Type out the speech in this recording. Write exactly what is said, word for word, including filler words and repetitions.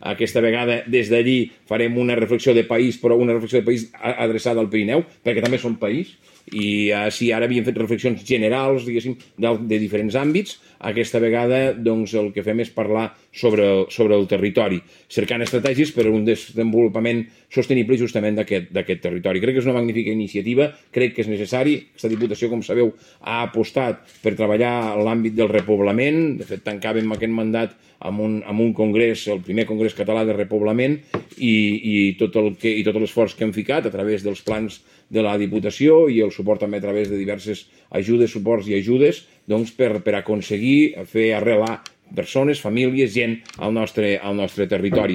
Aquesta vegada, des d'allí, farem una reflexió de país, però una reflexió de país adreçada al Pirineu, perquè també som país, i si ara havíem fet reflexions generals, diguéssim, de diferents àmbits, aquesta vegada doncs, el que fem és parlar sobre, sobre el territori, cercant estratègies per a un desenvolupament sostenible justament d'aquest territori. Crec que és una magnífica iniciativa, crec que és necessari. Aquesta Diputació, com sabeu, ha apostat per treballar en l'àmbit del repoblament. De fet, tancàvem aquest mandat amb un, amb un congrés, el primer congrés català de repoblament, i, i tot el que, i tot l'esforç que hem ficat a través dels plans de la Diputació i el suport també a través de diverses ajudes, suports i ajudes, doncs per, per aconseguir fer arrelar persones, famílies, gent al nostre, al nostre territori.